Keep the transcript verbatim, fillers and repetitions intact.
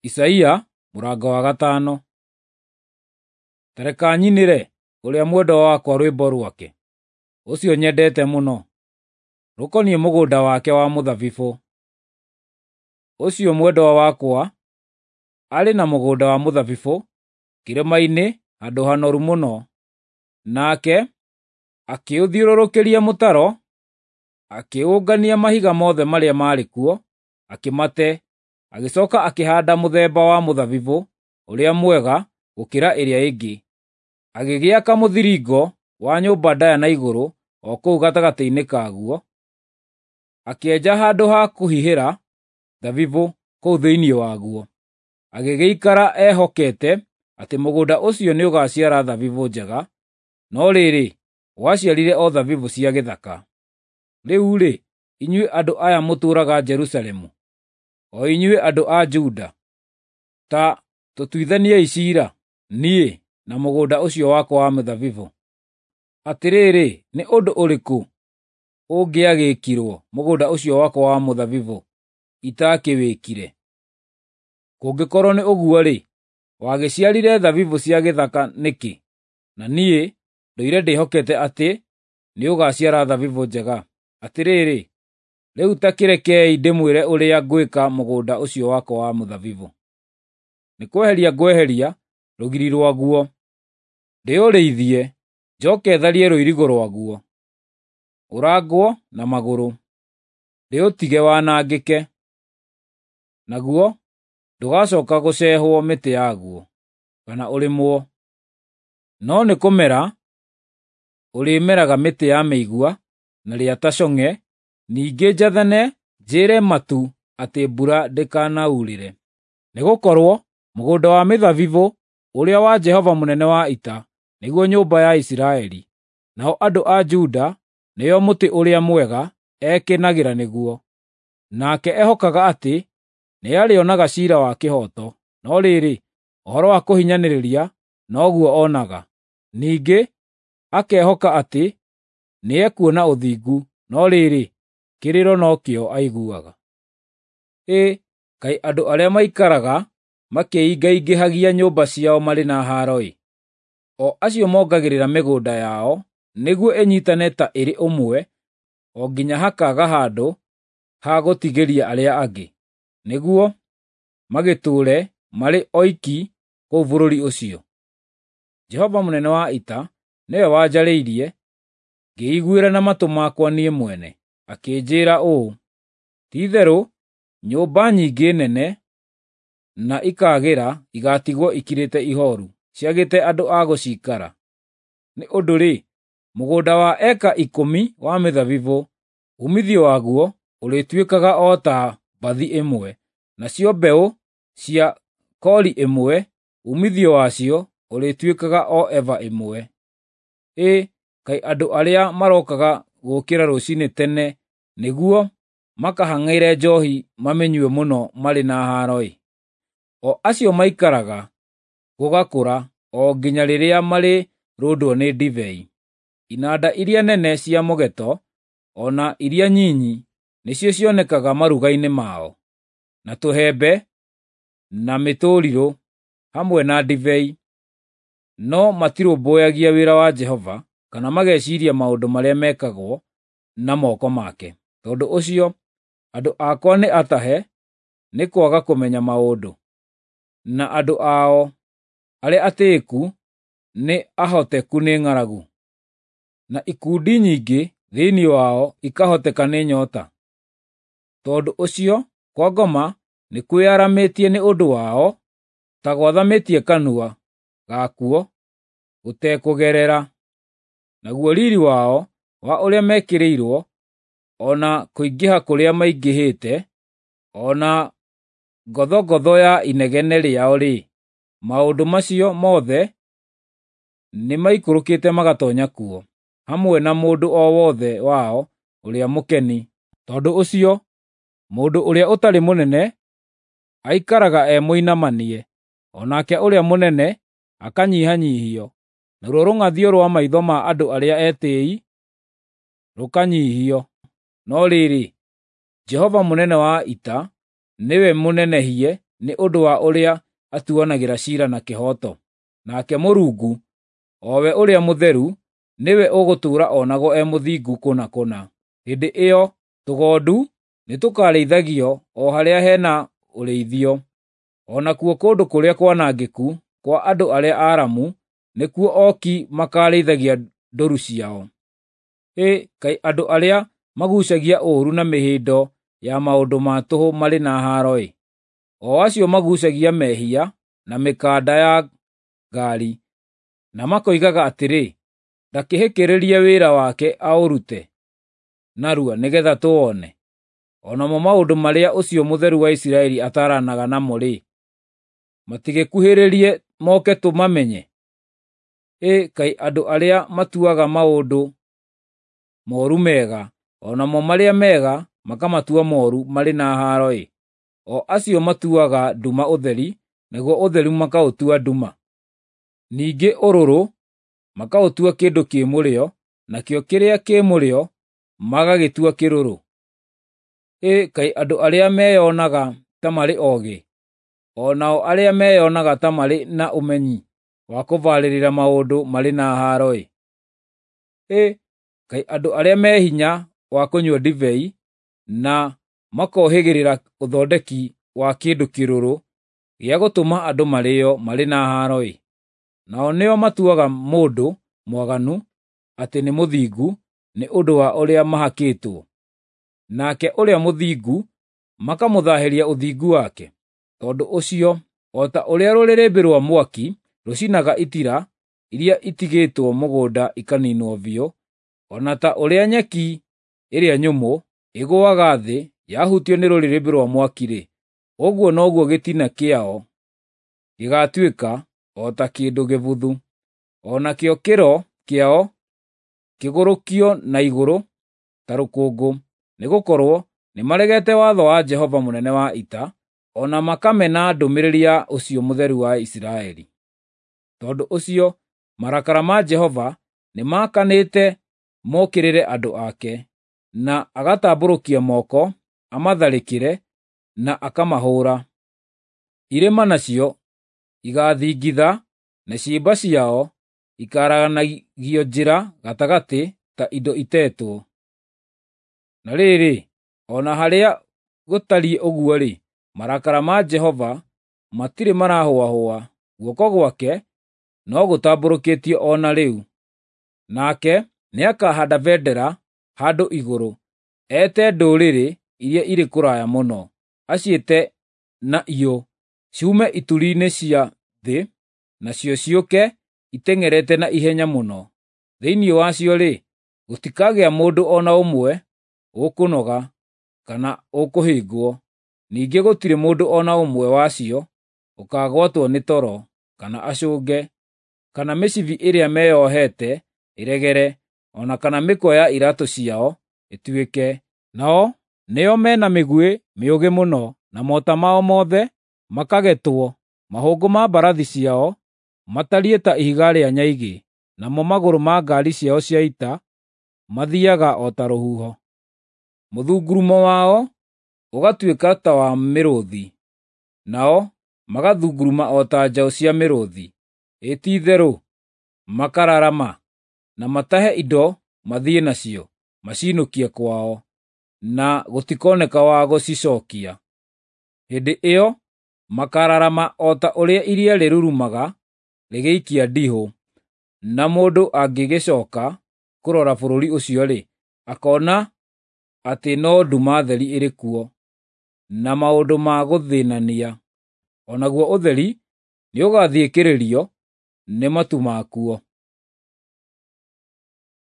Isaia mũrango wa gatano. Ta reka nyinĩre ũrĩa mwendwa wakwa rwĩmbo rwake, ũcio nyendete mũno, rũkoniĩ mũgũnda wake wa mũthabibũ. Ũcio mwendwa wakwa arĩ na mũgũnda wa mũthabibũ kĩrĩma-inĩ handũ hanoru mũno, nake akĩũthiũrũrũkĩria mũtaro, akĩũngania mahiga mothe marĩa maarĩ kuo, akĩmate, agĩcoka akĩhaanda mũthemba wa mũthabibũ ũrĩa mwega gũkĩra ĩrĩa ĩngĩ. Agĩgĩaka mũthiringo wa nyũmba ndaaya na igũrũ o kũu gatagatĩ-inĩ kaguo, akĩenja handũ ha kũhihĩra thabibũ kũu thĩinĩ waguo. Agĩgĩikara ehokete atĩ mũgũnda ũcio nĩũgaciara thabibũ njega, no rĩrĩ, waciarire o thabibũ cia gĩthaka. Rĩu-rĩ, inyuĩ andũ aya mũtũũraga Jerusalemu, o inyuĩ andũ a Juda, ta tũtuithaniei ciira, niĩ na mũgũnda ũcio wakwa wa mĩthabibũ. Atĩrĩrĩ, nĩ ũndũ ũrĩkũ ũngĩagĩkirwo mũgũnda ũcio wakwa wa mũthabibũ itakĩwĩkire? Kũngĩkorwo nĩ ũguo-rĩ, wagĩciarire thabibũ cia gĩthaka nĩkĩ, na niĩ ndũire ndĩhokete atĩ nĩũgaciara thabibũ njega? Atĩrĩrĩ, rĩu ta kĩrekei ndĩmwĩre ũrĩa ngwĩka mũgũnda ũcio wakwa wa mũthabibũ. Nĩ kweheria ngweheria rũgiri rwaguo, ndĩũrĩithie, njoke tharie rũirigo rwaguo, ũrangwo na magũrũ, ndĩũtige wanangĩke, naguo ndũgacooka gũcehwo mĩtĩ yaguo, kana ũrĩmwo, no nĩ kũmera ũrĩmeraga mĩtĩ ya mĩigua na rĩa ta cong'e. Ningĩ njathane njĩre matu atĩ mbura ndĩkanaurĩre. Nĩgũkorwo mũgũnda wa mĩthabibũ ũrĩa wa Jehova mũnene wa ita nĩguo nyũmba ya Isiraeli, nao andũ a Juda nĩo mũtĩ ũrĩa mwega ekenagĩra nĩguo. Nake ehokaga atĩ nĩarĩonaga ciira wa kĩhooto, no rĩrĩ, ũhoro wa kũhinyanĩrĩria noguo onaga. Ningĩ akehoka atĩ nĩekuona ũthingu, no rĩrĩ, kĩrĩro nokĩo aiguaga. Ĩ, kaĩ andũ arĩa maikaraga makĩingaingĩhagia nyũmba ciao marĩ na haaro-ĩ! O acio mongagĩrĩra mĩgũnda yao nĩguo ĩnyiitane ta ĩrĩ ũmwe, o nginya hakaaga handũ ha gũtigĩria arĩa angĩ, nĩguo magĩtũũre marĩ oiki kũu bũrũri ũcio. Jehova mũnene wa ita nĩwe wanjarĩirie, ngĩĩiguĩra na matũ makwa niĩ mwene, akĩnjĩĩra ũũ, “Ti-itherũ nyũmba nyingĩ nene na ikaagĩra igaatigwo ikirĩte ihooru, ciagĩte andũ a gũciikara. Nĩ ũndũ-rĩ, mũgũnda wa eka ikũmi wa mĩthabibũ, uumithio waguo ũrĩtuĩkaga o ta mbathi ĩmwe, nacio mbeũ cia kori ĩmwe, uumithio wacio ũrĩtuĩkaga o eba ĩmwe.” Ĩ, kaĩ andũ arĩa marokaga gũũkĩra rũciinĩ tene nĩguo makahang'ĩre njoohi mamĩnyue mũno marĩ na haaro-ĩ! O acio maikaraga gũgakũra o nginya rĩrĩa marĩrũndwo nĩ ndibei. Inanda iria nene cia mũgeeto o na iria nyinyi nĩcio cionekaga maruga-inĩ mao, na tũhembe na mĩtũrirũ hamwe na ndibei, no matirũmbũyagia wĩra wa Jehova kana mageciiria maũndũ marĩa mekagwo na moko make. Tondũ ũcio andũ akwa nĩ atahe nĩ kwaga kũmenya maũndũ, na andũ ao arĩa atĩĩku nĩ ahoteku nĩ ng'aragu, na ikundi nyingĩ thĩinĩ wao ikahoteka nĩ nyoota. Tondũ ũcio kwa ngoma nĩkwĩyaramĩtie nĩ ũndũ wao, ta gwathamĩtie kanua gakuo gũtekũgerera. Naguo riiri wao wa ũrĩa mekĩrĩirwo, o na kũingĩha kũrĩa maingĩhĩte, o na ngothongotho ya inegene rĩao-rĩ, maũndũ macio mothe nĩmaikũrũkĩte magatoonya kuo, hamwe na mũndũ o wothe wao ũrĩa mũkeni. Tondũ ũcio mũndũ ũrĩa ũtarĩ mũnene aikaraga e mũinamanie, o nake ũrĩa mũnene akanyihanyiihio, naruo rũng'athio rwa maitho ma andũ arĩa etĩĩi rũkanyiihio. No rĩrĩ, Jehova mũnene wa ita nĩwe mũnenehie nĩ ũndũ wa ũrĩa atuanagĩra ciira na kĩhooto. Nake Mũrungu, o we ũrĩa mũtheru, nĩwe ũgũtũũra onagwo e mũthingu kũna kũna. Hĩndĩ ĩyo tũgondu nĩtũkarĩithagio o harĩa he na ũrĩithio, o nakuo kũndũ kũrĩa kwanangĩku kwa andũ arĩa aaramu nĩkuo oki makarĩithagia ndũru ciao. Hĩ, kaĩ andũ arĩa maguucagia ũũru na mĩhĩndo ya maũndũ ma tũhũ marĩ na haaro-ĩ! O acio maguucagia mehia na mĩkanda ya ngaari, na makoigaga atĩrĩ, “Ndakĩhĩkĩrĩrie wĩra wake aũrute narua nĩgeetha tũwone.” O namo maũndũ marĩa ũcio Mũtheru wa Isiraeli ataaranaga namo-rĩ, matigĩkuhĩrĩrie moke tũmamenye? Ĩ kaĩ andũ arĩa matuaga maũndũ mooru mega, o namo marĩa mega makamatua mooru marĩ na haaro-ĩ! O acio matuaga nduma ũtheri, naguo ũtheri makaũtua nduma. Ningĩ ũrũrũ makaũtua kĩndũ kĩ mũrĩo, nakĩo kĩrĩa kĩ mũrĩo magagĩtua kĩrũrũ. Ĩ kaĩ andũ arĩa meyonaga ta marĩ oogĩ, o nao arĩa meyonaga ta marĩ na ũmenyi wa kũbarĩrĩra maũndũ marĩ na haaro-ĩ! Ĩ kaĩ andũ arĩa me hinya wa kũnyua ndibei, na makohĩgĩrĩra ũthondeki wa kĩndũ kĩrũrũ gĩa gũtũma andũ marĩĩo marĩ na haaro-ĩ! Nao nĩo matuaga mũndũ mwaganu atĩ nĩ mũthingu nĩ ũndũ wa ũrĩa mahakĩtwo, nake ũrĩa mũthingu makamũthaahĩria ũthingu wake. Tondũ ũcio, o ta ũrĩa rũrĩrĩmbĩ rwa mwaki rũcinaga itira iria itigĩtwo mũgũnda ikaniinwo biũ, o na ta ũrĩa nyeki ĩrĩa nyũmũ ĩgũaga thĩ yahutio nĩ rũrĩrĩmbĩ rwa mwaki-rĩ, ũguo noguo gĩtina kĩao gĩgaatuĩka o ta kĩndũ gĩbuthu, o nakĩo kĩro kĩao kĩgũrũkio na igũrũ ta rũkũngũ, nĩgũkorwo nĩmaregete watho wa Jehova mũnene wa ita, o na makamena ndũmĩrĩri ya ũcio Mũtheru wa Isiraeli. Tondũ ũcio marakara ma Jehova nĩmakanĩte mokĩrĩre andũ ake, na agatambũrũkia moko amatharĩkĩre na akamahũũra. Irĩma nacio igaathingitha, na ciimba ciao ikaaraganagio njĩra gatagatĩ ta indo itetwo. Na rĩrĩ, o na harĩa gũtariĩ ũguo-rĩ, marakara ma Jehova matirĩ marahũahũa, guoko gwake no gũtambũrũkĩtio o na rĩu. Nake nĩakahaanda bendera handũ igũrũ, eete ndũrĩrĩ iria irĩ kũraya mũno, aciĩte na iyũ ciume ituri-inĩ cia thĩ, nacio ciũke iteng'erete na ihenya mũno. Thĩinĩ wacio-rĩ, gũtikagĩa mũndũ o na ũmwe ũkũnoga kana ũkũhĩngwo, ningĩ gũtirĩ mũndũ o na ũmwe wacio ũkaagwatwo nĩ toro, kana acũnge, kana mĩcibi ĩrĩa meyohete ĩregere, o na kana mĩkwa ya iraatũ ciao ĩtuĩke. Nao nĩo me na mĩguĩ mĩũgĩ mũno, na mota mao mothe makagetwo. Mahũngũ ma mbarathi ciao matariĩ ta ihiga rĩa nyaigĩ, namo magũrũ ma ngaari ciao cia ita mathiiaga o ta rũhuho. Mũthungurumo wao ũgatuĩka ta wa mĩrũũthi, nao magathunguruma o ta njaũ cia mĩrũũthi. Ĩ ti-itherũ makararama, na matahe indo mathiĩ nacio, maciinũkie kwao, na gũtikoneka wa gũcicookia. Hĩndĩ ĩyo makararama o ta ũrĩa iria rĩrurumaga rĩgĩikia ndihũ, na mũndũ angĩgĩcooka kũrora bũrũri ũcio-rĩ, akoona atĩ no nduma theri ĩrĩ kuo, na maũndũ ma gũthĩĩnania. O naguo ũtheri nĩũgathiĩkĩrĩrio nĩ matu makuo.